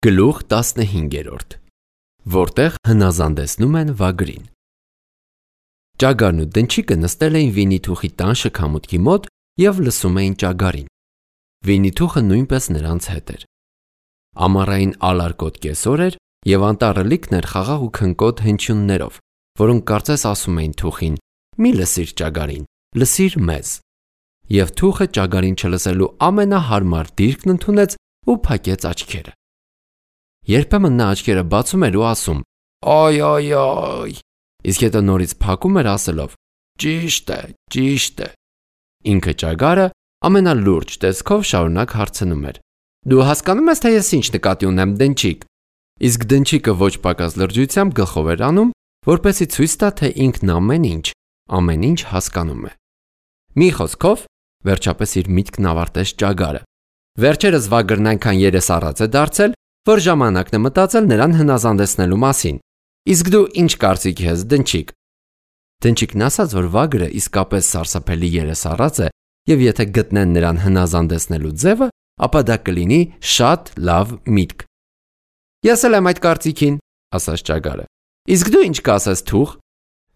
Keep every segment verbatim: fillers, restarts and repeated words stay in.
Գլուխ տասնհինգերորդ, որտեղ հնազանդեցնում են վագրին։ Ճագարն ու դնչիկը նստել էին Վիննիթուխի տան շքամուտքի մոտ և լսում էին ճագարին։ Վիննիթուխը նույնպես նրանց հետ էր։ Ամառային ալարկոտ կեսօր էր և անտառը լիքն էր խաղաղ ու քնկոտ հնչյուններով, որոնք կարծես ասում էին թուխին. «Մի լսիր ճագարին, լսիր մեզ»։ Եվ թուխը ճագարին չլսելու ամենահարմար դիրքն ընդունեց ու փակեց աչքերը։ Երբեմն նա աչքերը բացում էր ու ասում. «Այ, այ, այ», իսկ հետո նորից փակում էր ասելով. «Ճիշտ է, ճիշտ է»։ Ինքը ճագարը ամենալուրջ տեսքով շարունակ հարցնում էր. «Դու հասկանում ես, թե ես ինչ նկատի ունեմ, դնչիկ»։ Իսկ դնչիկը ոչ պակաս լրջությամբ գլխով էր անում, որպեսզի ցույց տա, թե ինքն ամեն ինչ, ամեն ինչ հասկանում է։ Մի խոսքով, վերջապես իր միտքն ավարտեց ճագարը։ Վերջերս վագրն այնքան երեսառած է դարձել, որ ժամանակն է մտածել նրան հնազանդեցնելու մասին։ Իսկ դու ինչ կարծիք ես, դնչիկ։ Դնչիկն ասաց, որ վագրը իսկապես սարսափելի երեսառած է, և եթե գտնեն նրան հնազանդեցնելու ձևը, ապա դա կլինի շատ լավ միտք։ Ես էլ եմ այդ կարծիքին, ասաց ճագարը։ Իսկ դու ինչ կասես, թուխ։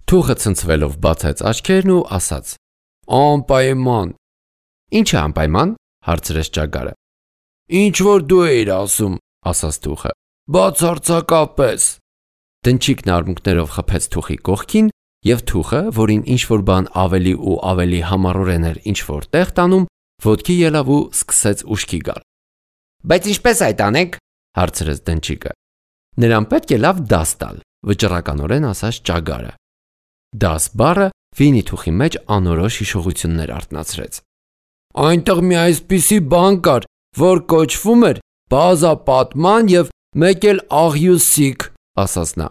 Թուխը ցնցվելով բացեց աչքերն ու ասաց. Անպայման։ Ինչ է անպայման, հարցրեց ճագարը։ Ինչ որ դու էիր ասում, ասաց թուխը։ Բացարձակապես։ Դնչիկն արմունկներով խփեց թուխի կողքին, և թուխը, որին ինչ-որ բան ավելի ու ավելի համառորեն էր ինչ-որ տեղ տանում, ոտքի ելավ ու սկսեց ուշքի գալ։ Բայց ինչպես այդ անենք, հարցրեց դնչիկը։ Նրան պետք է լավ դաս տալ, վճռականորեն ասաց ճագարը։ Դաս բառը Վիննիթուխի մեջ անորոշ հիշողություններ արթնացրեց։ Այնտեղ մի այսպիսի բան կար, որ կոչվում էր բազապատման և մեկ էլ աղյուսիկ, ասաց նա։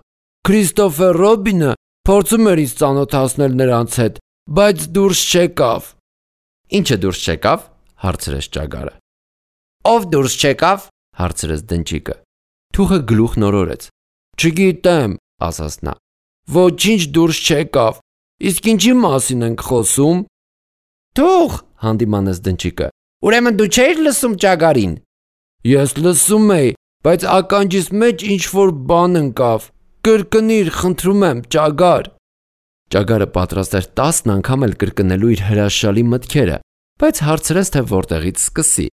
Քրիստոֆեր Ռոբինը փորձում էր ինձ ծանոթացնել նրանց հետ, բայց դուրս չեկավ։ Ինչը դուրս չեկավ, հարցրեց ճագարը։ Ով դուրս չեկավ, հարցրեց դնչիկը։ Թուխը գլուխ նորորեց։ Չգիտեմ, ասաց նա։ Ոչինչ դուրս չեկավ։ Իսկ ինչի մասին ենք խոսում։ Թուխ, հանդիմանեց դնչիկը։ Ուրեմն դու չէիր լսում ճագարին։ Ես լսում էի, բայց ականջիս մեջ ինչ-որ բան ընկավ։ Կրկնիր, խնդրում եմ, ճագար։ Ճագարը պատրաստ էր տասն անգամ էլ կրկնելու իր հրաշալի մտքերը, բայց հարցրեց, թե որտեղից սկսի,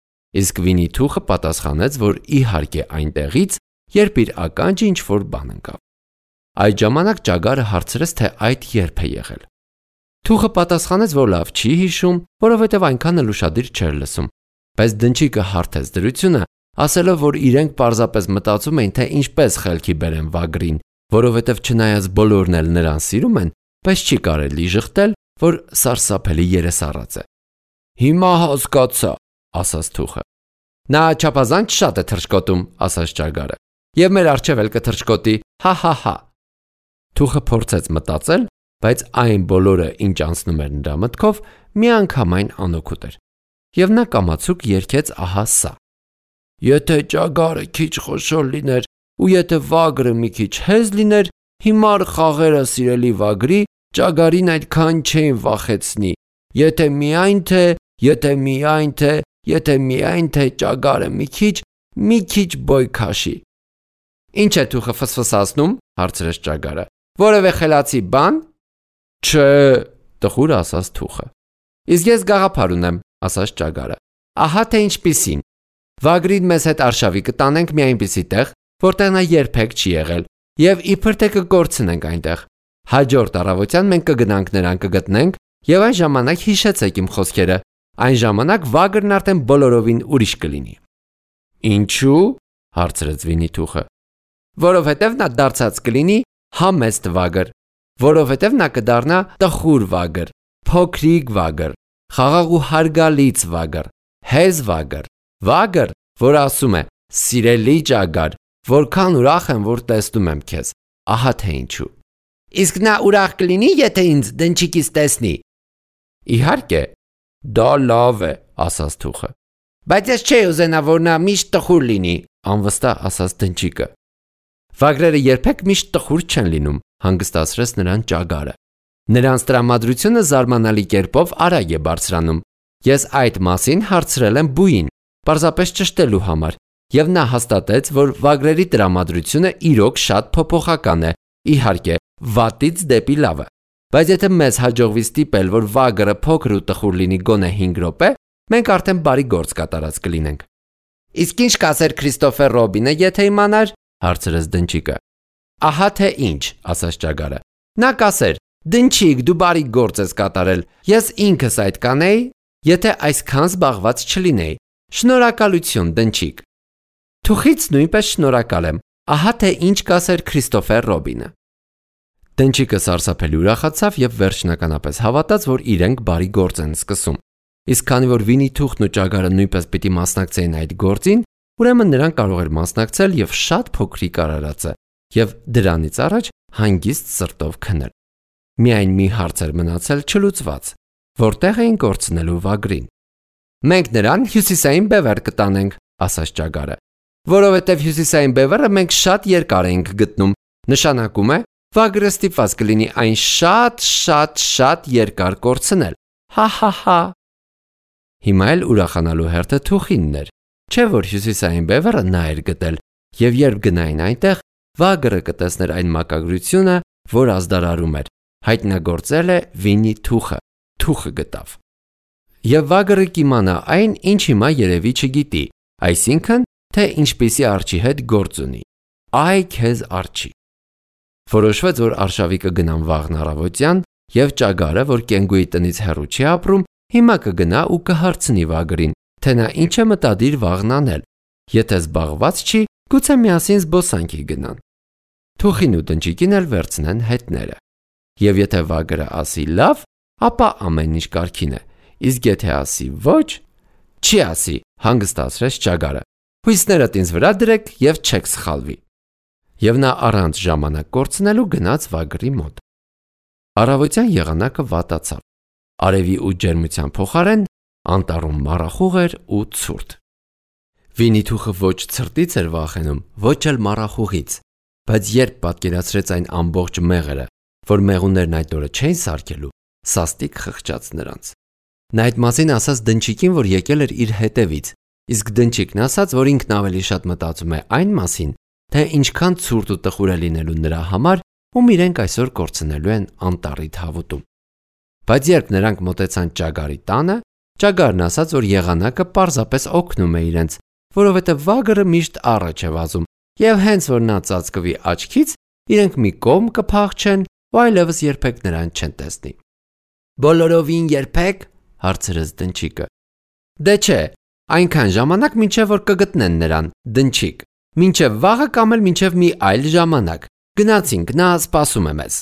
իսկ Վիննիթուխը պատասխանեց, որ իհարկե այնտեղից, երբ իր ականջը ինչ-որ բան ընկավ։ Այդ ժամանակ ճագարը հարցրեց, թե այդ երբ է եղել։ Թուխը պատասխանեց, որ լավ չի հիշում, որովհետև այնքան էլ ուշադիր չէր լսում, բայց դնչիկը հարթեց դրությունը, ասելով, որ իրենք պարզապես մտածում էին, թե ինչպես խելքի բերեն վագրին, որովհետև չնայած բոլորն էլ նրան սիրում են, բայց չի կարելի ժխտել, որ սարսափելի երեսառած է։ Հիմա հասկացա, ասաց թուխը։ Նա չափազանց շատ է թռչկոտում, ասաց ճագարը, և մեր առջև էլ կթռչկոտի, հա-հա-հա։ Թուխը փորձեց մտածել, բայց այն բոլորը, ինչ անցնում էր նրա մտքով, միանգամայն անօգուտ էր, և նա կամացուկ երգեց ահա սա. Եթե ճագարը քիչ խոշոր լիներ, ու եթե վագրը մի քիչ հեզ լիներ, հիմար խաղերը սիրելի վագրի ճագարին այդքան չէին վախեցնի, եթե միայն թե, եթե միայն թե, եթե միայն թե ճագարը մի քիչ, մի քիչ բոյ քաշի։ Ինչ է թուխը ֆսֆսացնում, հարցրեց ճագարը։ Որևէ խելացի բան։ Չէ, տխուր ասաց թուխը։ Իսկ ես գաղափար ունեմ, ասաց ճագարը։ Ահա թե ինչպիսին։ Վագրին մեզ հետ արշավի կտանենք մի այնպիսի տեղ, որտեղ նա երբեք չի եղել, և իբր թե կկորցնենք այնտեղ։ Հաջորդ առավոտյան մենք կգնանք նրան կգտնենք, և այն ժամանակ հիշեցեք իմ խոսքերը, այն ժամանակ վագրն արդեն բոլորովին ուրիշ կլինի։ Ինչու՞, հարցրեց Վիննիթուխը։ Որովհետև նա դարձած կլինի համեստ վագր, որովհետև նա կդառնա տխուր վագր, փոքրիկ վագր, խաղաղ ու հարգալից վագր, հեզ վագր, վագր, որ ասում է. Սիրելի ճագար, որքան ուրախ եմ, որ տեսնում եմ քեզ, ահա թե ինչու։ Իսկ նա ուրախ կլինի, եթե ինձ դնչիկից տեսնի։ Իհարկե, դա լավ է, ասաց թուխը։ Բայց ես չէի ուզենա, որ նա միշտ տխուր լինի, անվստահ ասաց դնչիկը։ Վագրերը երբեք միշտ տխուր չեն լինում, հանգստացրեց նրան ճագարը։ Նրանց տրամադրությունը զարմանալի կերպով արագ է բարձրանում։ Ես այդ մասին հարցրել եմ բույին, պարզապես ճշտելու համար, Եվ նա հաստատեց, որ վագրերի տրամադրությունը իրոք շատ փոփոխական է, իհարկե, վատից դեպի լավը։ Բայց եթե մեզ հաջողվի ստիպել, որ վագրը փոքր ու տխուր լինի գոնե հինգ րոպե, մենք արդեն բարի գործ կատարած կլինենք։ Իսկ ինչ կասեր Քրիստոֆեր Ռոբինը, եթե իմանար, հարցրեց դնչիկը։ Ահա թե ինչ, ասաց ճագարը։ Նա կասեր. Դնչիկ, դու բարի գործ ես կատարել, ես ինքս այդ կանեի, եթե այսքան զբաղված չլինեի։ Շնորհակալություն, դնչիկ։ Թուխից նույնպես շնորհակալ եմ, ահա թե ինչ կասեր Քրիստոֆեր Ռոբինը։ Դնչիկը սարսափելի ուրախացավ եւ վերջնականապես հավատաց, որ իրենք բարի գործ են սկսում։ Իսկ քանի որ Վինի-Թուխն ու ճագարը նույնպես պիտի մասնակցեին այդ գործին, ուրեմն նրան կարող էր մասնակցել եւ շատ փոքրիկ արարածը եւ դրանից առաջ հանգիստ սրտով քնել։ Միայն մի հարց էր մնացել չլուծված. որտեղ էին կորցնելու վագրին։ Մենք նրան հյուսիսային բևեռ կտանենք, ասաց ճագարը, որովհետև հյուսիսային բևեռը մենք շատ երկար ենք գտնում, նշանակում է, վագրը ստիպված կլինի այն շատ, շատ, շատ երկար կորցնել։ Հա-հա-հա։ Հիմա էլ ուրախանալու հերթը Թուխինն էր, չէ՞ որ հյուսիսային բևեռը նա էր գտել, եւ երբ գնային այնտեղ, վագրը կտեսներ այն մակագրությունը, որ ազդարարում էր, հայտնագործել է Վինի-Թուխը, Թուխը գտավ։ Եվ վագրը կիմանա այն, ինչ հիմա երևի չգիտի, այսինքն, թե ինչպիսի արջի հետ գործ ունի։ Այ քեզ արջի։ Որոշվեց, որ արշավիկը գնան վաղն առավոտյան, եւ ճագարը, որ կենգուի տնից հեռու չի ապրում, հիմա կգնա ու կհարցնի վագրին, թե նա ինչ է մտադիր վաղն անել։ Եթե զբաղված չի, գուցե միասին զբոսանքի գնան։ Թուխին ու դնչիկին էլ վերցնեն հետները։ Եվ եթե վագրը ասի լավ, ապա ամեն ինչ կարգին է, իսկ եթե ասի ոչ, չի ասի, հանգստացրեց ճագարը։ Հույսներդ ինձ վրա դրեք եւ չեք սխալվի։ Եվ նա առանց ժամանակ կորցնելու գնաց վագրի մոտ։ Առավոտյան եղանակը վատացավ։ Արևի ու ջերմության փոխարեն անտառում մառախուղ էր ու ցուրտ։ Վինի-Թուխը ոչ ցրտից էր վախենում, ոչ էլ մառախուղից, բայց երբ պատկերացրեց այն ամբողջ մեղրը, որ մեղուներն այդ օրը չէին սարքելու, սաստիկ խղճաց նրանց։ Նա այդ մասին ասաց դնչիկին, որ եկել էր իր հետևից, իսկ դնչիկն ասաց, որ ինքն ավելի շատ մտածում է այն մասին, թե ինչքան ցուրտ ու տխուր է լինելու նրա համար, ում իրենք այսօր կորցնելու են անտառի թավուտում։ Բայց երբ նրանք մոտեցան ճագարի տանը, ճագարն ասաց, որ եղանակը պարզապես օգնում է իրենց, որովհետև վագրը միշտ առաջ է վազում, եւ հենց որ նա ծածկվի աչքից, իրենք մի կողմ կփախչեն ու այլևս երբեք նրան չեն տեսնի։ Բոլորովին երբեք, հարցրեց դնչիկը։ Դե չէ, այնքան ժամանակ մինչև որ կգտնեն նրան, դնչիկ, մինչև վաղը կամ էլ մինչև մի այլ ժամանակ։ Գնացինք, նա սպասում է մեզ։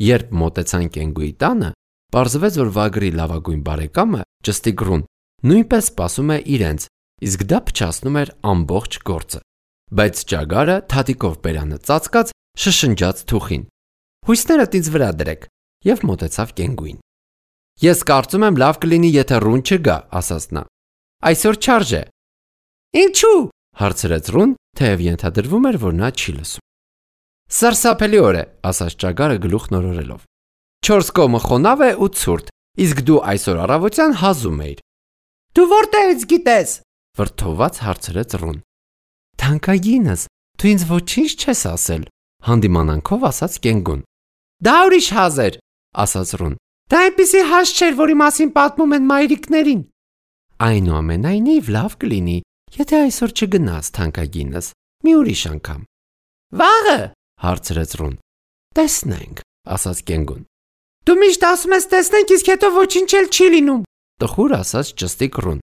Երբ մոտեցան կենգուի տանը, պարզվեց, որ վագրի լավագույն բարեկամը, Ճստիգրուն, նույնպես սպասում է իրենց, իսկ դա փչացնում էր ամբողջ գործը։ Բայց ճագարը թաթիկով բերանը ծածկած շշնջաց Թուխին. Հույսներդ ինձ վրա դրեք, եւ մոտեցավ կենգուին։ Ես կարծում եմ լավ կլինի, եթե ռուն չգա, ասաց նա։ Այսօր չարժե։ Ինչու՞, հարցրեց ռուն, թեև ենթադրվում էր, որ նա չի լսում։ Սարսափելի օր է, ասաց ճագարը գլուխ նորորելով։ Չորս կողմը խոնավ է ու ցուրտ, իսկ դու այսօր առավոտյան հազում էիր։ Դու որտեղից գիտես, վրդոված հարցրեց ռուն։ Թանկագինս, դու ինձ ոչինչ չես ասել, հանդիմանանքով ասաց կենգուն։ Դա ուրիշ հազ էր, ասաց ռուն։ Դա այնպիսի հազ չէր, որի մասին պատմում են մայրիկներին։ Այնուամենայնիվ լավ կլինի, եթե այսօր չգնաս, թանկագինս, մի ուրիշ անգամ։ Վաղը, հարցրեց ռուն։ Տեսնենք, ասաց կենգուն։ Դու միշտ ասում ես տեսնենք, իսկ հետո ոչինչ էլ չի լինում, տխուր ասաց ճստիկ ռուն։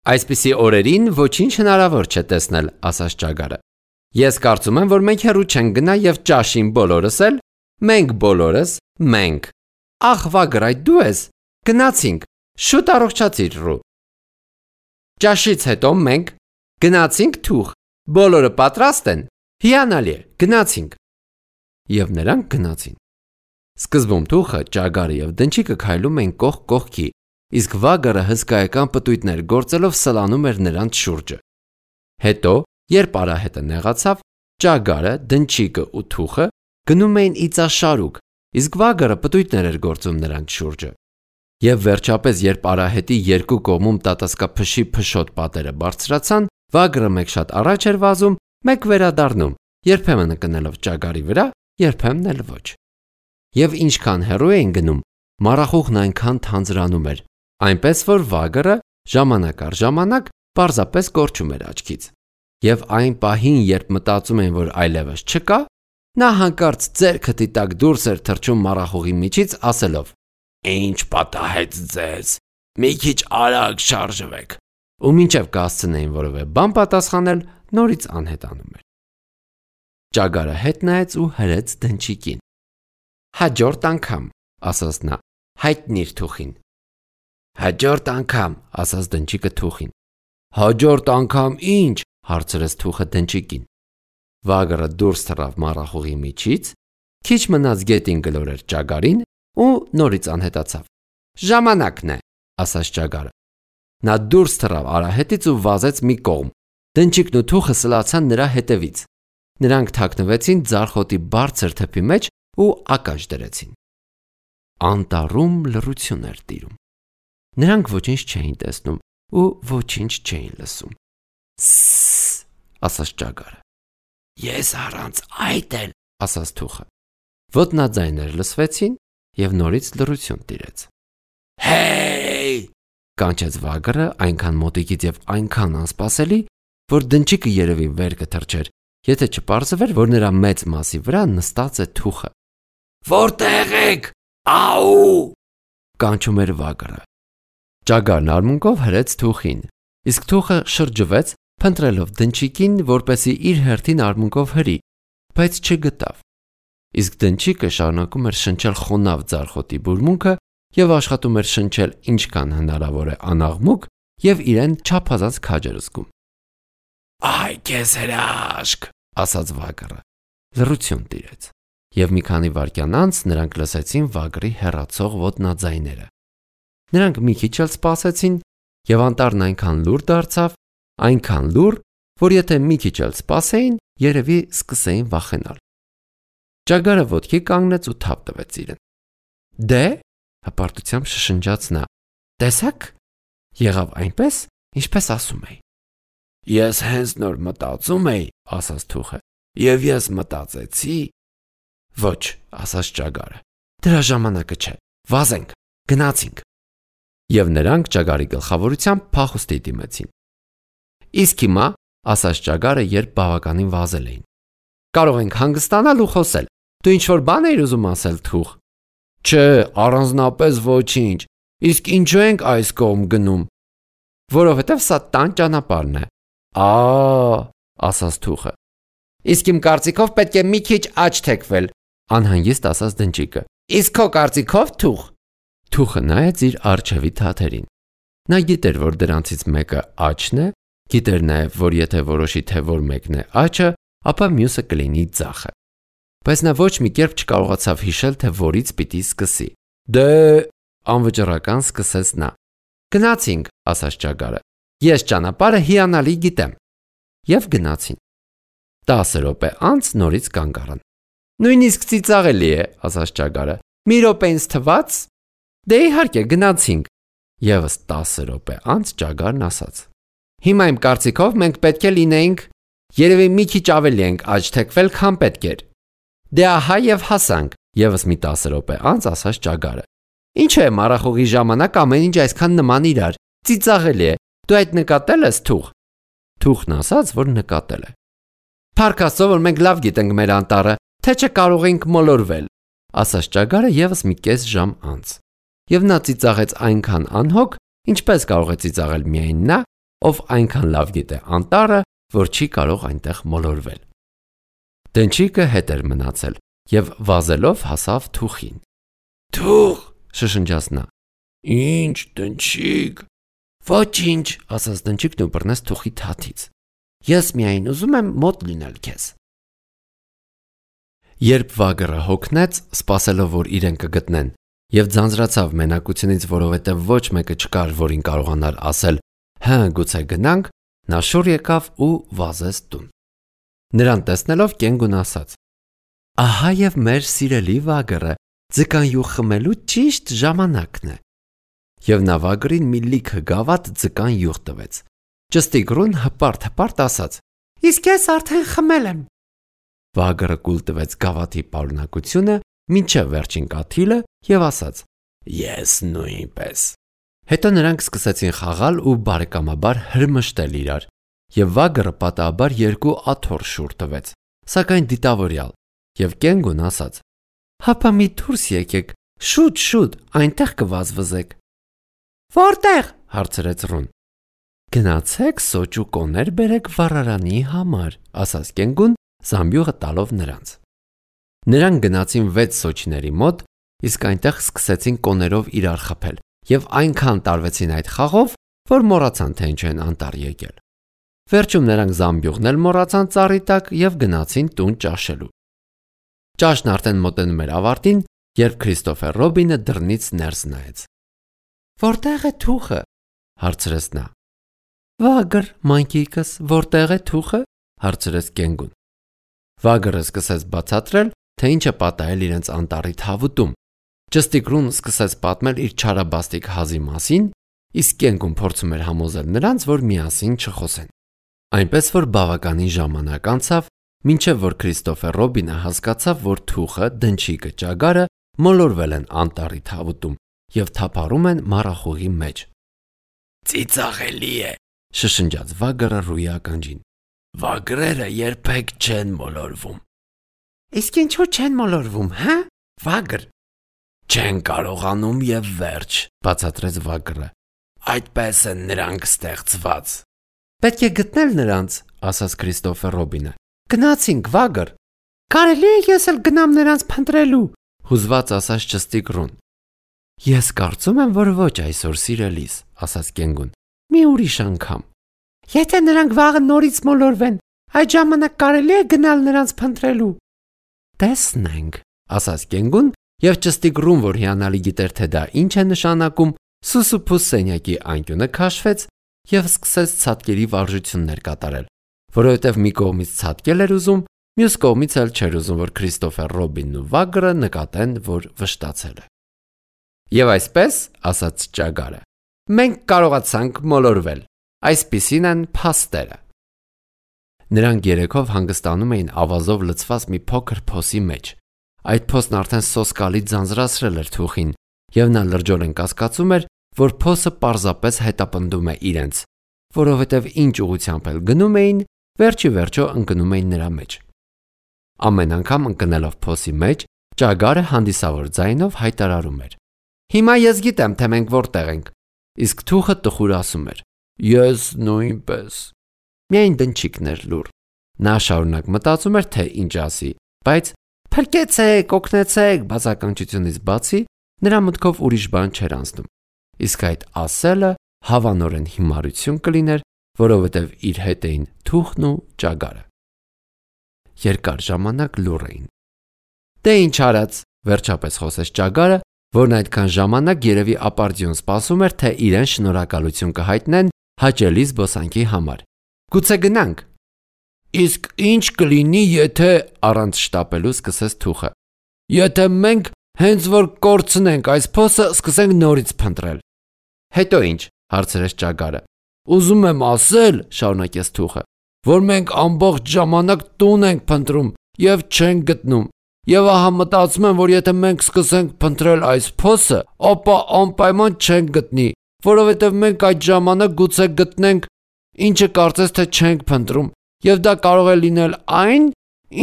Այսպիսի օրերին ոչինչ հնարավոր չէ տեսնել, ասաց ճագարը։ Ես կարծում եմ, որ մենք հեռու չենք գնա եւ ճաշին բոլորս էլ, մենք բոլորս, մենք։ Ախ, վագր, այդ դու ես։ Գնացինք, շուտ առողջացիր ռու։ Ճաշից հետո մենք գնացինք Թուխ, բոլորը պատրաստ են։ Հիանալի է, գնացինք։ Եվ նրանք գնացին։ Սկզբում Թուխը, ճագարը եւ դնչիկը քայլում էին կողք կողքի, իսկ վագրը հսկայական պտույտներ գործելով սլանում էր նրանց շուրջը։ Հետո, երբ արահետը նեղացավ, ճագարը, դնչիկը ու Թուխը գնում էին իծաշարուկ, իսկ վագրը պտույտներ էր գործում նրանց շուրջը։ Եվ վերջապես, երբ արահետի երկու կողմում տատասկափշի փշոտ պատերը բարձրացան, Վագրը մեկ շատ առաջ էր վազում, մեկ վերադառնում, երբեմն կնելով ճագարի վրա, երբեմն էլ ոչ։ Եվ ինչքան հեռու էին գնում, մառախուղն այնքան թանձրանում էր, այնպես որ վագրը ժամանակ առ ժամանակ պարզապես կորչում էր աչքից։ Եվ այն պահին, երբ մտածում էին, որ այլևս չկա, նա հանկարծ ձեռքը տիտակ դուրս էր թռչում մառախուղի միջից, ասելով. «Ինչ պատահեց ձեզ, մի քիչ արագ շարժվեք», ու մինչև կհասցնեին որևէ բան պատասխանել, նորից անհետանում էր։ Ճագարը հետ նայեց ու հրեց դնչիկին։ «Հաջորդ անգամ», ասաց նա, «հայտնիր թուխին»։ «Հաջորդ անգամ», ասաց դնչիկը թուխին։ «Հաջորդ անգամ ի՞նչ», հարցրեց թուխը դնչիկին։ Վագրը դուրս թռավ մառախուղի միջից, քիչ մնաց գետին գլորեր ճագարին ու նորից անհետացավ։ «Ժամանակն է», ասաց ճագարը։ Նա դուրս թռավ արահետից ու վազեց մի կողմ։ Դնչիկն ու թուխը սլացան նրա հետևից։ Նրանք թաքնվեցին ձարխոտի բարձր թփի մեջ ու ակաշ դրեցին։ Անտառում լռություն էր տիրում։ Նրանք ոչինչ չէին տեսնում ու ոչինչ չէին լսում։ «Սսս», ասաց ճագարը։ «Ես առանց այդ էլ», ասաց թուխը։ Ոտնաձայներ լսվեցին և նորից լռություն տիրեց։ «Հեյ», կանչեց վագրը այնքան մոտիկից և այնքան անսպասելի, որ դնչիկը երևի վեր կթռչեր, եթե չպարզվեր, որ նրա մեծ մասի վրա նստած է թուխը։ «Որտե՞ղ եք, աու», կանչում էր վագրը։ Ճագարն արմունկով հրեց թուխին, իսկ թուխը շրջվեց, փնտրելով դնչիկին, որպեսզի իր հերթին արմունկով հրի, բայց չգտավ։ Իսկ դնչիկը շարունակում էր շնչել խոնավ ձարխոտի բուրմունքը և աշխատում էր շնչել ինչքան հնարավոր է անաղմուկ և իրեն չափազանց քաջ էր զգում։ «Այ քեզ հրաշք», ասաց վագրը։ Լռություն տիրեց, և մի քանի վայրկյան անց նրանք լսեցին վագրի հեռացող ոտնաձայները։ Նրանք մի քիչ էլ սպասեցին, և անտառն այնքան լուռ դարձավ, այնքան լուռ, որ եթե մի քիչ էլ սպասեին, երևի սկսեին վախենալ։ Ճագարը ոտքի կանգնեց ու թափ տվեց իրեն։ «Դե», հպարտությամբ շշնջաց նա, «տեսա՞ք, եղավ այնպես, ինչպես ասում էի»։ «Ես հենց նոր մտածում էի», ասաց թուխը, «և ես մտածեցի»։ «Ոչ», ասաց ճագարը, «դրա ժամանակը չէ, վազենք, գնացինք»։ Եվ նրանք ճագարի գլխավորությամբ փախուստի դիմեցին։ «Իսկ հիմա», ասաց ճագարը, երբ բավականին վազել էին, «կարող ենք հանգստանալ ու խոսել։ Դու ինչ-որ բան էիր ուզում ասել, թուխ»։ «Չէ, առանձնապես ոչինչ, իսկ ինչու ենք այս կողմ գնում»։ «Որովհետև սա տան ճանապարհն է»։ «Ա՜», ասաց թուխը։ «Իսկ իմ կարծիքով պետք է մի քիչ աջ թեքվել», անհանգիստ ասաց դնչիկը։ «Իսկ քո կարծիքով, թուխ»։ Թուխը նայեց իր առջևի թաթերին։ Նա գիտեր, որ դրանցից մեկը աջն է, գիտեր նաև, որ եթե որոշի, թե որ մեկն է աջը, ապա մյուսը կլինի ձախը։ Բայց նա ոչ մի կերպ չկարողացավ հիշել, թե որից պիտի սկսի։ «Դե», անվճռական սկսեց նա։ «Գնացինք», ասաց ճագարը։ «Ես ճանապարհը հիանալի գիտեմ»։ Եվ գնացին։ Տասը րոպե անց նորից կանգ առան։ «Նույնիսկ ծիծաղելի է», ասաց ճագարը։ «Մի րոպե ինձ թվաց»։ «Դե իհարկե, գնացինք»։ Եվս տասը րոպե անց ճագարն ասաց. «Հիմա իմ կարծիքով մենք պետք է լինեինք, երևի մի քիչ ավելի ենք աջ թեքվել, քան պետք էր»։ «Դե ահա և հասանք», եվս մի տասը րոպե անց ասաց ճագարը։ «Ինչու է մառախուղի ժամանակ ամեն ինչ այսքան նման իրար, ծիծաղելի է, դու այդ նկատել ես, թուխ»։ Թուխն ասաց, որ նկատել է։ «Փառք Աստծո, որ մենք լավ գիտենք մեր անտառը, թե չէ կարող էինք մոլորվել», ասաց ճագարը եւս մի կես ժամ անց։ Եվ նա ծիծաղեց այնքան անհոգ, ինչպես կարող է ծիծաղել միայն նա, ով այնքան լավ գիտե անտառը, որ չի կարող այնտեղ մոլորվել։ Դնչիկը հետ էր մնացել եւ վազելով հասավ թուխին։ «Թուխ», շշնջաց նա։ «Ինչ, դնչիկ»։ «Ոչինչ», ասաց դնչիկն ու բռնեց թուխի թաթից։ «Ես միայն ուզում եմ մոտ լինել քեզ»։ Երբ վագրը հոգնեց, սպասելով, որ իրեն կգտնեն, եւ ձանձրացավ մենակությունից, որովհետեւ ոչ մեկը չկար, որին կարողանար ասել. «Հը, գուցե գնանք», նա շուռ եկավ ու վազեց տուն։ Նրան տեսնելով կենգուն ասաց. «Ահա եւ մեր սիրելի վագրը, ձկան յուղ խմելու ճիշտ ժամանակն է»։ Եվ նա վագրին մի լիքը գավաթ ձկան յուղ տվեց։ Ճստիգրուն հպարտ-հպարտ ասաց. Իսկ ես արդեն խմել եմ։ Վագրը կուլ տվեց գավաթի պարունակությունը մինչև վերջին կաթիլը եւ ասաց. Ես նույնպես։ Հետո նրանք սկսեցին խաղալ ու բարեկամաբար հրմշտել իրար, եւ Վագրը պատահաբար երկու աթոռ շուռ տվեց, սակայն դիտավորյալ, եւ Կենգուն ասաց. Հապա մի դուրս եկեք, շուտ շուտ, այնտեղ կվազվզեք։ Որտեղ, հարցրեց Ռուն։ Գնացեք սոճ ու կոներ բերեք վառարանի համար, ասաց Կենգուն, զամբյուղը տալով նրանց։ Նրանք գնացին վեց սոճիների մոտ, իսկ այնտեղ սկսեցին կոներով իրար խփել, եւ այնքան տարվեցին այդ խաղով, որ մոռացան թե ինչ են անտառ եկել։ Վերջում նրանք զամբյուղն էլ մոռացան ծառի տակ եւ գնացին տուն ճաշելու։ Ճաշն արդեն մոտենում էր ավարտին, երբ Քրիստոֆեր Ռոբինը դռնից ներս նայեց։ Որտեղ է թուխը, հարցրեց նա։ Վագր, մանկիկս, որտեղ է թուխը, հարցրեց Կենգուն։ Վագրը սկսեց բացատրել, թե ինչ է պատահել իրենց անտառի թավուտում։ Ճստիգրուն սկսեց պատմել իր չարաբաստիկ հազի մասին, իսկ Կենգուն փորձում էր համոզել նրանց, որ միասին չխոսեն։ Այնպես որ բավականին ժամանակ անցավ, մինչև որ Քրիստոֆեր Ռոբինը հասկացավ, որ թուխը, դնչիկը, ճագարը մոլորվել են անտառի թավուտում եւ թափառում են մառախուղի մեջ։ Ծիծաղելի է, շշնջաց Վագրը ռուի ականջին։ Վագրերը երբեք չեն մոլորվում։ Իսկ ինչու չեն մոլորվում, հա՞, Վագր։ Չեն կարողանում եւ վերջ, բացատրեց Վագրը։ Այդպես են նրանք ստեղծված։ Պետք է գտնել նրանց, ասաց Քրիստոֆեր Ռոբինը։ Գնացինք, Վագր։ Կարելի է ես էլ գնամ նրանց փնտրելու, հուզված ասաց Ճստիգրուն։ Ես կարծում եմ, որ ոչ այսօր սիրելիս, ասաց Կենգուն։ Մի ուրիշ անգամ։ Եթե նրանք վաղը նորից մոլորվեն, այդ ժամանակ կարելի է գնալ նրանց փնտրելու։ Տեսնենք, ասաց Կենգուն, եւ Ճստիգրուն, որ հիանալի գիտեր, թե դա ինչ է նշանակում, սուսուփուս սենյակի անկյունը քաշվեց եւ սկսեց ցատկերի վարժություններ կատարել, որովհետեւ մի կողմից ցատկել էր ուզում, մյուս կողմից էլ չէր ուզում, որ Քրիստոֆեր Ռոբինն ու Վագրը նկատեն, որ վշտացել է։ Եվ այսպես, ասաց ճագարը, մենք կարողացանք մոլորվել, այսպիսին են փաստերը։ Նրանք երեքով հանգստանում էին ավազով լցված մի փոքր փոսի մեջ։ Այդ փոսն արդեն սոսկալի ձանձրացրել էր թուխին, եւ նա լրջորեն կասկածում էր, որ փոսը պարզապես հետապնդում է իրենց, որովհետև ինչ ուղղությամբ էլ գնում էին, վերջի վերջո ընկնում էին նրա մեջ։ Ամեն անգամ ընկնելով փոսի մեջ, ճագարը հանդիսավոր ձայնով հայտարարում էր. Հիմա ես գիտեմ, թե մենք որտեղ ենք, իսկ թուխը տխուր ասում էր. Ես նույնպես։ Միայն դնչիկն էր լուռ։ Նա շարունակ մտածում էր, թե ինչ ասի, բայց փրկեցեք, օգնեցեք բացականչությունից բացի նրա մտքով ուրիշ բան չէր անցնում։ Իսկ այդ ասելը հավանորեն հիմարություն կլիներ, որովհետև իր հետ էին թուխն ու ճագարը։ Երկար ժամանակ լուռ էին։ Դե ինչ արած, վերջապես խոսեց ճագարը, որն այդքան ժամանակ երևի ապարդյուն սպասում էր, թե իրեն շնորհակալություն կհայտնեն հաճելի զբոսանքի համար։ Գուցե գնանք։ Իսկ ինչ կլինի, եթե առանց շտապելու սկսեց թուխը։ Եթե մենք հենց որ կորցնենք այս փոսը, սկսենք նորից փնտրել։ Հետո ինչ, հարցրեց ճագարը։ Ուզում եմ ասել, շարունակեց թուխը, որ մենք ամբողջ ժամանակ տուն ենք փնտրում եւ չենք գտնում։ Եվ ահա մտածում եմ, որ եթե մենք սկսենք փնտրել այս փոսը, ապա անպայման չենք գտնի, որովհետև մենք այդ ժամանակ գուցե գտնենք, ինչը կարծես թե չենք փնտրում, եւ դա կարող է լինել այն,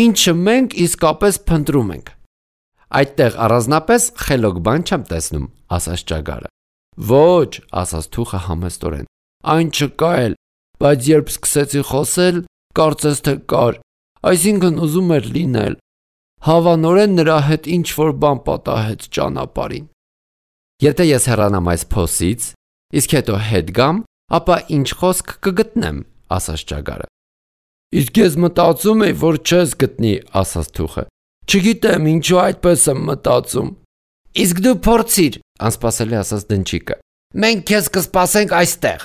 ինչը մենք իսկապես փնտրում ենք։ Այդտեղ առանձնապես խելոք բան չեմ տեսնում, ասաց ճագարը։ Ոչ, ասաց թուխը համեստորեն, այն չկա էլ, բայց երբ սկսեցի խոսել, կարծես թե կար, այսինքն ուզում էր լինել։ Հավանորեն նրա հետ ինչ-որ բան պատահեց ճանապարհին։ Եթե ես հեռանամ այս փոսից, իսկ հետո հետ գամ, ապա ինչ խոսք կգտնեմ, ասաց ճագարը։ Իսկ ես մտածում եի, որ չես գտնի, ասաց թուխը։ Չգիտեմ ինչու այդպես եմ մտածում։ Իսկ դու փորձիր, անսպասելի ասաց դնչիկը։ Մենք քեզ կսպասենք այստեղ։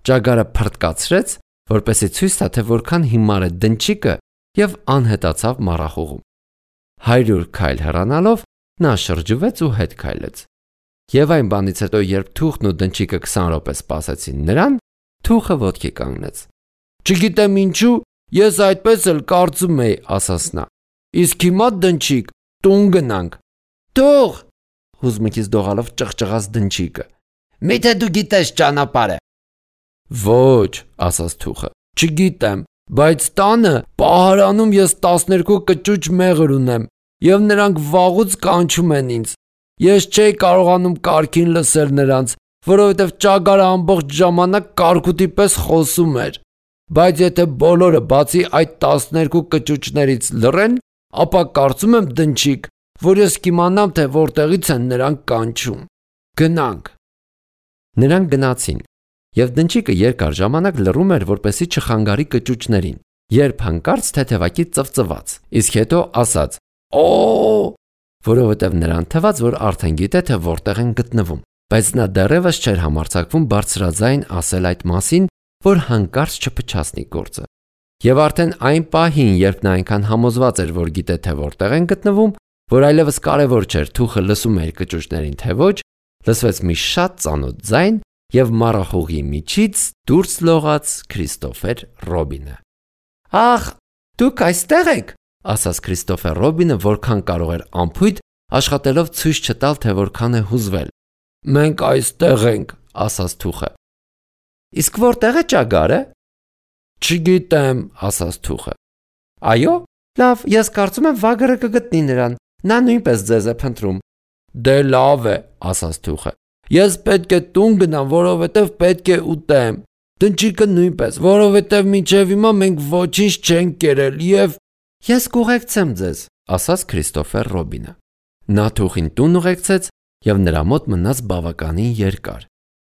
Ճագարը փրկացրեց, որպեսզի ցույց տա, թե որքան հիմար է դնչիկը, եւ անհետացավ մառախուղում։ Հարյուր քայլ հեռանալով նա շրջվեց ու հետ քայլեց։ Եվ այն բանից հետո, երբ թուխն ու դնչիկը քսան րոպե սպասեցին նրան, Թուխը ոտքի կանգնեց։ Չգիտեմ ինչու, ես այդպես էլ կարծում էի, ասաց նա։ Իսկ հիմա դնչիկ, տուն գնանք։ Թող, հուզմունքից դողալով ճղճղաց դնչիկը։ Միթե դու գիտես ճանապարհը։ Ոչ, ասաց Թուխը, չգիտեմ, բայց տանը պահարանում ես տասներկու կճուճ մեղր ունեմ, եւ նրանք վաղուց կանչում են ինձ։ Ես չէի կարողանում կարգին լսել նրանց, որովհետև ճագարը ամբողջ ժամանակ կարկուտի պես խոսում էր։ Բայց եթե բոլորը բացի այդ տասներկու կճուճներից լռեն, ապա կարծում եմ դնչիկ, որ ես կիմանամ, թե որտեղից են նրանք կանչում։ Գնանք։ Նրանք գնացին, եւ դնչիկը երկար ժամանակ լռում էր, որպեսզի չխանգարի կճուճներին, երբ հանկարծ թեթևակի ծվծվաց, իսկ հետո ասաց. Օ, որովհետև նրան թվաց, որ արդեն գիտե, թե որտեղ են գտնվում, բայց նա դեռևս չէր համարձակվում բարձրաձայն ասել այդ մասին, որ հանկարծ չփչացնի գործը։ Եվ արդեն այն պահին, երբ նա այնքան համոզված էր, որ գիտե, թե որտեղ են գտնվում, որ այլևս կարևոր չէր Թուխը լսում էր կճուճներին, թե ոչ, լսվեց մի շատ ծանոթ ձայն եւ մառախուղի միջից դուրս լողաց Քրիստոֆեր Ռոբինը։ Ախ, դուք այստեղ եք, ասաց Քրիստոֆեր Ռոբինը, որքան կարող էր անփույթ, աշխատելով ցույց չտալ, թե որքան է հուզվել։ Մենք այստեղ ենք, ասաց Թուխը։ Իսկ որտեղ է ճագարը։ Չգիտեմ, ասաց Թուխը։ Այո, լավ, ես կարծում եմ վագրը կգտնի նրան, նա նույնպես ձեզ է փնտրում։ Դե լավ է, ասաց Թուխը։ Ես պետք է տուն գնամ, որովհետև պետք է ուտեմ։ Դնչիկը նույնպես, որովհետև մինչև հիմա մենք ոչինչ չենք կերել եւ Ես կուղեկցեմ ձեզ, ասաց Քրիստոֆեր Ռոբինը։ Նա Թուխին տուն ուղեկցեց եւ նրա մոտ մնաց բավականին երկար։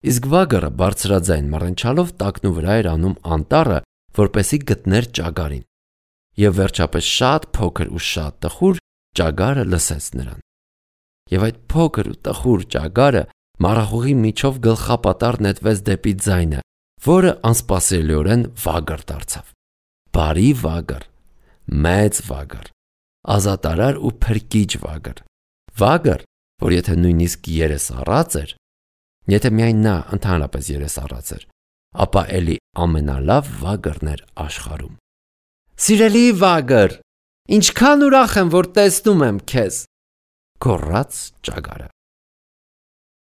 Իսկ վագրը բարձրաձայն մռնչալով տակնու վրա էր անում անտառը, որպեսի գտներ ճագարին։ Եվ վերջապես շատ փոքր ու շատ տխուր ճագարը լսեց նրան։ Եվ այդ փոքր ու տխուր ճագարը մառախուղի միջով գլխապատառ նետվեց դեպի ձայնը, որը անսպասելիորեն վագր դարձավ։ Բարի վագր, մեծ վագր, ազատարար ու փրկիչ վագր։ Վագր, որ եթե նույնիսկ երես առած էր, եթե միայն նա ընդհանրապես երես առած էր, ապա էլի ամենալավ վագրն էր աշխարհում։ Սիրելի վագր, ինչքան ուրախ եմ, որ տեսնում եմ քեզ, գոռաց ճագարը։